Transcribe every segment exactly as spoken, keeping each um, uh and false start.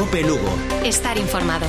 COPE Lugo. Estar informado.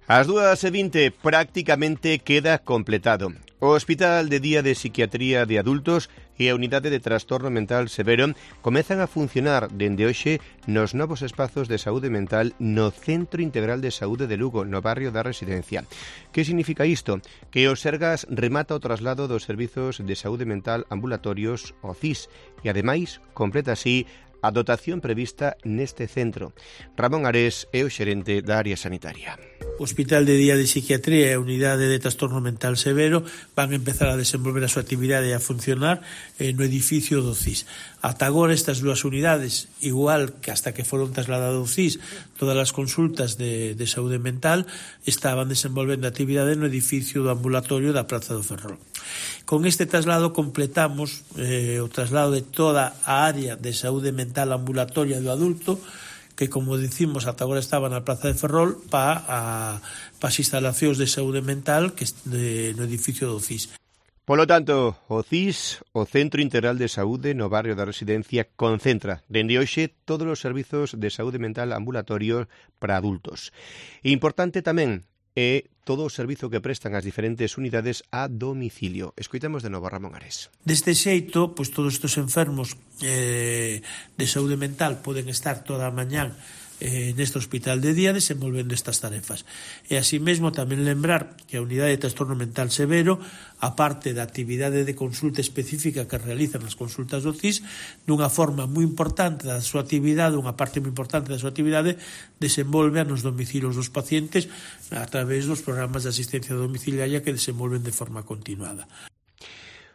Ás dúas e vinte prácticamente queda completado. O Hospital de Día de Psiquiatría de Adultos e a Unidade de Trastorno Mental Severo comezan a funcionar dende hoxe nos novos espazos de saúde mental no Centro Integral de Saúde de Lugo, no barrio da Residencia. Que significa isto? Que o Sergas remata o traslado dos servizos de saúde mental ambulatorios, o C I S, e ademais completa así a dotación prevista neste centro. Ramón Ares é o xerente da área sanitaria. O Hospital de Día de Psiquiatría e a Unidade de Trastorno Mental Severo van a empezar a desenvolver a súa actividade e a funcionar eh, no edificio do C I S. Ata agora estas dúas unidades, igual que hasta que foron trasladados ao C I S, todas as consultas de, de saúde mental estaban desenvolvendo a actividade no edificio do ambulatorio da Praza do Ferrol. Con este traslado completamos eh, o traslado de toda a área de saúde mental ambulatoria do adulto, que, como dicimos, ata agora estaba na Praza de Ferrol para pa as instalacións de saúde mental que de, no edificio do C I S. Polo tanto, o C I S, o Centro Integral de Saúde no barrio da Residencia, concentra dende hoxe todos os servizos de saúde mental ambulatorio para adultos. Importante tamén é todo o servizo que prestan as diferentes unidades a domicilio. Escoitamos de novo a Ramón Ares. Deste xeito, pois todos estes enfermos eh, de saúde mental poden estar toda a mañán eh, neste hospital de día desenvolvendo estas tarefas. E así mesmo tamén lembrar que a unidade de trastorno mental severo, a parte da actividade de consulta específica que realizan as consultas do C I S, dunha forma moi importante da súa actividade, unha parte moi importante da súa actividade, desenvolve nos domicilios dos pacientes a través dos programas de asistencia domiciliaria que desenvolven de forma continuada.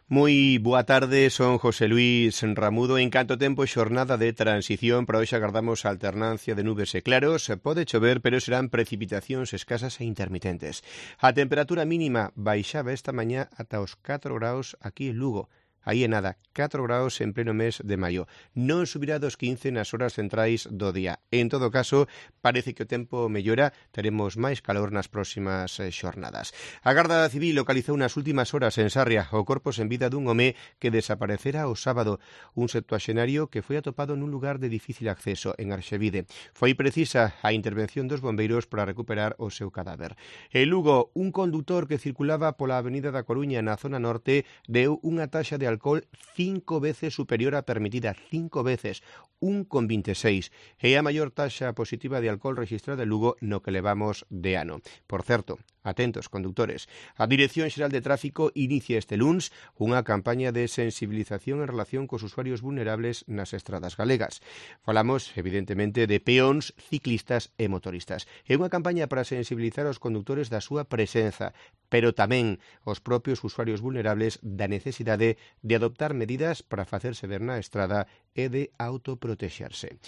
Moi boa tarde, son José Luis Ramudo. En canto tempo xornada de transición, para hoxe agardamos a alternancia de nubes e claros. Pode chover, pero serán precipitacións escasas e intermitentes. A temperatura mínima baixaba esta mañá ata os catro graus aquí en Lugo. Aí é nada, catro graus en pleno mes de maio. Non subirá dos quince nas horas centrais do día. En todo caso, parece que o tempo mellora, teremos máis calor nas próximas xornadas. A Garda Civil localizou nas últimas horas en Sarria o corpo sen vida dun home que desaparecera o sábado, un septuaxenario que foi atopado nun lugar de difícil acceso, en Arxevide. Foi precisa a intervención dos bombeiros para recuperar o seu cadáver. En Lugo, un condutor que circulaba pola avenida da Coruña na zona norte deu unha taxa de alcohol cinco veces superior á permitida, cinco veces, un con vinte e seis. É a maior taxa positiva de alcohol registrada en Lugo no que levamos de ano. Por certo, atentos, conductores, a Dirección Xeral de Tráfico inicia este luns unha campaña de sensibilización en relación cos usuarios vulnerables nas estradas galegas. Falamos, evidentemente, de peóns, ciclistas e motoristas. É unha campaña para sensibilizar os condutores da súa presenza, pero tamén os propios usuarios vulnerables da necesidade de adoptar medidas para facerse ver na estrada e de autoprotexerse.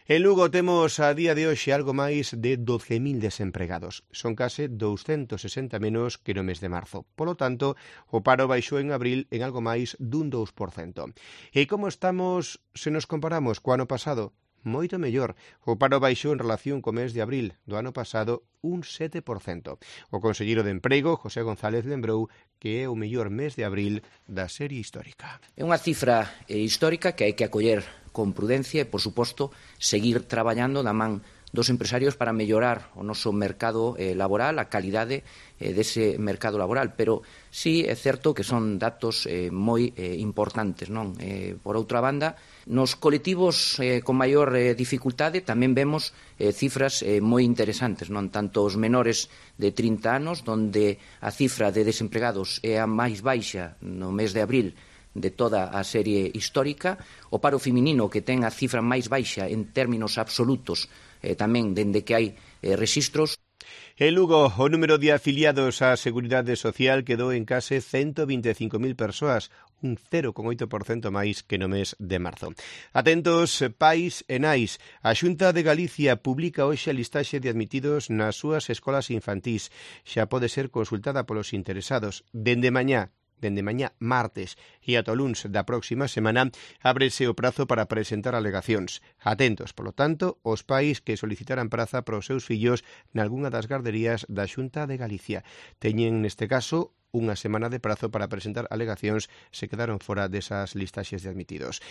En Lugo temos a día de hoxe algo máis de doce mil desempregados. Son case douscentos sesenta menos que no mes de marzo. Polo tanto, o paro baixou en abril en algo máis dun dous por cento. E como estamos se nos comparamos co ano pasado? Moito mellor. O paro baixou en relación co mes de abril do ano pasado un sete por cento. O conselleiro de Emprego, José González, lembrou que é o mellor mes de abril da serie histórica. É unha cifra eh, histórica que hai que acoller con prudencia e, por suposto, seguir traballando na man dos empresarios para mellorar o noso mercado eh, laboral, a calidade eh, dese mercado laboral. Pero sí é certo que son datos eh, moi eh, importantes, non? Eh, por outra banda, nos colectivos eh, con maior eh, dificultade tamén vemos eh, cifras eh, moi interesantes, non? Tanto os menores de trinta anos, donde a cifra de desempregados é a máis baixa no mes de abril de toda a serie histórica, o paro feminino que ten a cifra máis baixa en términos absolutos eh, tamén dende que hai eh, rexistros. En Lugo, o número de afiliados á Seguridade Social quedou en case ciento vinte e cinco mil persoas, un cero coma oito por cento máis que no mes de marzo. Atentos, pais e nais. A Xunta de Galicia publica hoxe a listaxe de admitidos nas súas escolas infantís. Xa pode ser consultada polos interesados. Dende mañá, dende mañá martes e ata o luns da próxima semana ábrese o prazo para presentar alegacións. Atentos, polo tanto, os pais que solicitaran praza para os seus fillos nalgunha das garderías da Xunta de Galicia. Teñen, neste caso, unha semana de prazo para presentar alegacións, se quedaron fora desas listaxes de admitidos.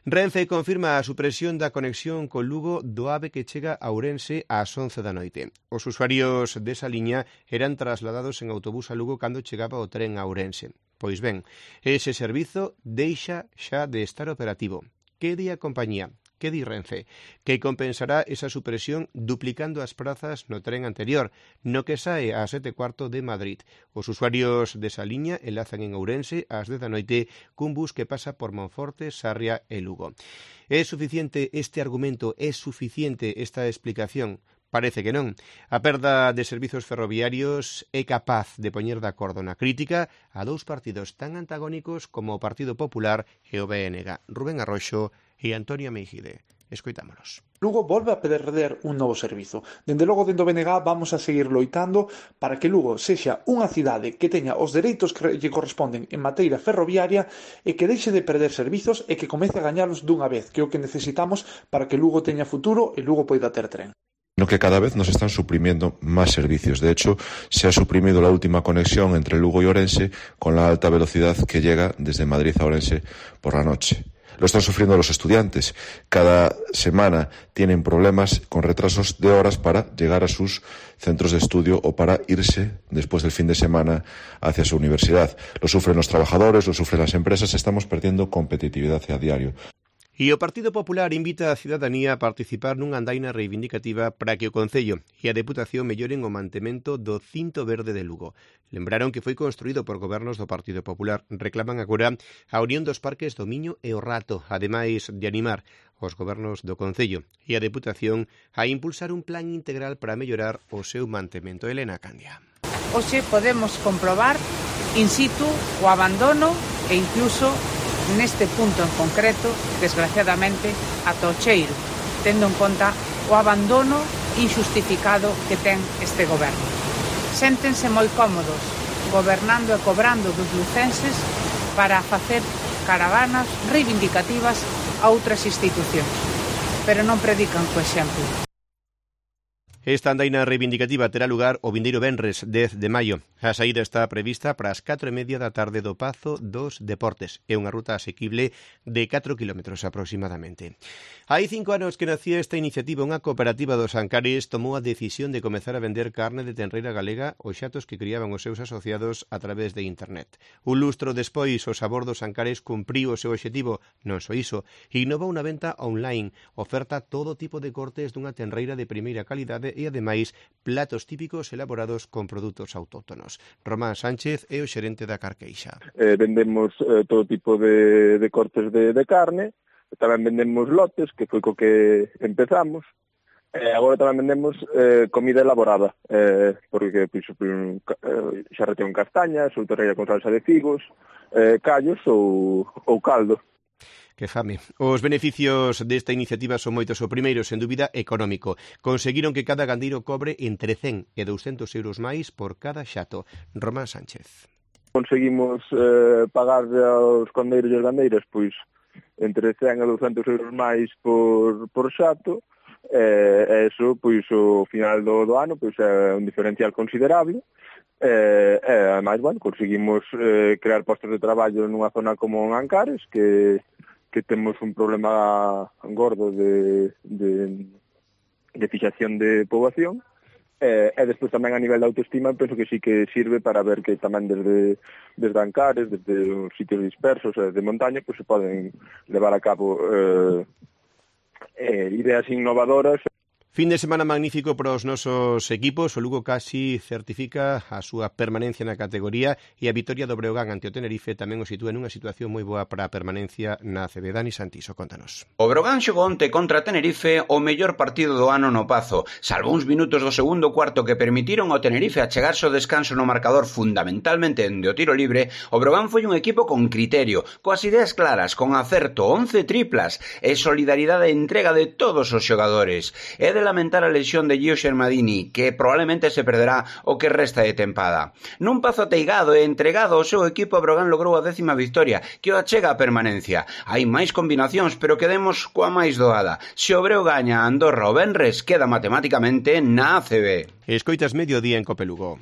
Renfe confirma a supresión da conexión con Lugo do AVE que chega a Ourense ás once da noite. Os usuarios desa liña eran trasladados en autobús a Lugo cando chegaba o tren a Ourense. Pois ben, ese servizo deixa xa de estar operativo. Que di a compañía? Que di Renfe? Que compensará esa supresión duplicando as prazas no tren anterior, no que sae ás sete cuarto de Madrid. Os usuarios desa liña enlazan en Ourense ás dez da noite cun bus que pasa por Monforte, Sarria e Lugo. É suficiente este argumento? É suficiente esta explicación? Parece que non. A perda de servizos ferroviarios é capaz de poñer de acordo na crítica a dous partidos tan antagónicos como o Partido Popular e o B N G. Rubén Arroxo e Antonio Meijide. Escoitámonos. Lugo volve a perder un novo servizo. Dende logo, dentro do B N G vamos a seguir loitando para que Lugo sexa unha cidade que teña os dereitos que lle corresponden en materia ferroviaria e que deixe de perder servizos e que comece a gañalos dunha vez, que é o que necesitamos para que Lugo teña futuro e Lugo poida ter tren. No que cada vez nos están suprimiendo más servicios. De hecho, se ha suprimido la última conexión entre Lugo y Orense con la alta velocidad que llega desde Madrid a Orense por la noche. Lo están sufriendo los estudiantes. Cada semana tienen problemas con retrasos de horas para llegar a sus centros de estudio o para irse después del fin de semana hacia su universidad. Lo sufren los trabajadores, lo sufren las empresas. Estamos perdiendo competitividad a diario. E o Partido Popular invita a cidadanía a participar nunha andaina reivindicativa para que o Concello e a Deputación melloren o mantemento do cinto verde de Lugo. Lembraron que foi construído por gobernos do Partido Popular. Reclaman agora a unión dos parques do Miño e o Rato, ademais de animar os gobernos do Concello e a Deputación a impulsar un plan integral para mellorar o seu mantemento. Elena Candia. Hoxe podemos comprobar in situ o abandono e incluso neste punto en concreto, desgraciadamente, ata o cheiro, tendo en conta o abandono injustificado que ten este goberno. Séntense moi cómodos, gobernando e cobrando dos lucenses para facer caravanas reivindicativas a outras institucións, pero non predican co exemplo. Esta andaina reivindicativa terá lugar o vindeiro venres dez de maio. A saída está prevista para as catro e media da tarde do Pazo dos Deportes. É unha ruta asequible de catro kilómetros aproximadamente. Hai cinco anos que nacía esta iniciativa. Unha cooperativa dos Ancares tomou a decisión de comezar a vender carne de tenreira galega aos xatos que criaban os seus asociados a través de internet. Un lustro despois, o Sabor dos Ancares cumpriu o seu obxectivo. Non só iso, innovou unha venta online. Oferta todo tipo de cortes dunha tenreira de primeira calidade e, ademais, platos típicos elaborados con produtos autóctonos. Román Sánchez é o xerente da Carqueixa. Eh, vendemos eh, todo tipo de, de cortes de, de carne, tamén vendemos lotes, que foi co que empezamos, e agora tamén vendemos eh, comida elaborada, eh, porque pois, eh, xa retén castañas, ou torreira con salsa de figos, eh, callos ou, ou caldo. Que fame. Os beneficios desta iniciativa son moitos. O primeiro, sen dúbida, económico. Conseguiron que cada gandeiro cobre entre cen e douscentos euros máis por cada xato. Román Sánchez. Conseguimos eh, pagar aos gandeiros e as gandeiras pois entre cen e douscentos euros máis por, por xato, e eso, pois, o final do, do ano, pois, é un diferencial considerable. E, e ademais, bueno, conseguimos eh, crear postos de traballo nunha zona como en Ancares, que que temos un problema gordo de, de, de fixación de poboación, e, e despois tamén a nivel de autoestima penso que sí que sirve para ver que tamén desde, desde Ancares, desde os sitios dispersos e de montaña, pues, se poden levar a cabo eh, eh, ideas innovadoras. Fin de semana magnífico para os nosos equipos. O Lugo casi certifica a súa permanencia na categoría e a vitoria do Breogán ante o Tenerife tamén o sitúa nunha situación moi boa para a permanencia na A C B. Dani Santiso, contanos. O Breogán xogou onte contra Tenerife o mellor partido do ano no Pazo. Salvo uns minutos do segundo cuarto que permitiron ao Tenerife achegarse ao descanso no marcador fundamentalmente de o tiro libre, o Breogán foi un equipo con criterio, coas ideas claras, con acerto, once triplas e solidaridade e entrega de todos os xogadores. É de lamentar a lesión de Gio Xermadini, que probablemente se perderá o que resta de tempada. Nun Pazo ateigado e entregado ao seu equipo, a Breogán logrou a décima victoria, que o achega a permanencia. Hai máis combinacións, pero quedemos coa máis doada. Se o Breo gaña a Andorra o venres, queda matemáticamente na A C B. Escoitas Mediodía en Cope Lugo.